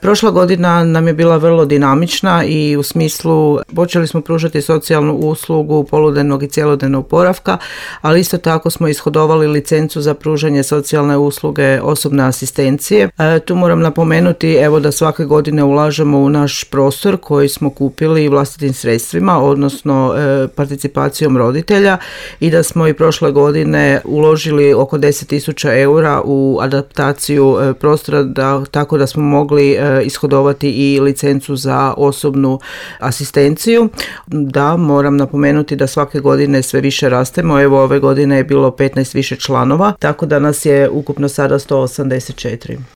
Prošla godina nam je bila vrlo dinamična i u smislu počeli smo pružati socijalnu uslugu poludnevnog i cjelodnevnog boravka, ali isto tako smo ishodovali licencu za pružanje socijalne usluge osobne asistencije. Tu moram napomenuti da svake godine ulažemo u naš prostor koji smo kupili vlastitim sredstvima, odnosno participacijom roditelja, i da smo i prošle godine uložili oko 10.000 eura u adaptaciju prostora, tako da smo mogli ishodovati i licencu za osobnu asistenciju. Da, moram napomenuti da svake godine sve više rastemo. Ove godine je bilo 15 više članova, tako da nas je ukupno sada 184.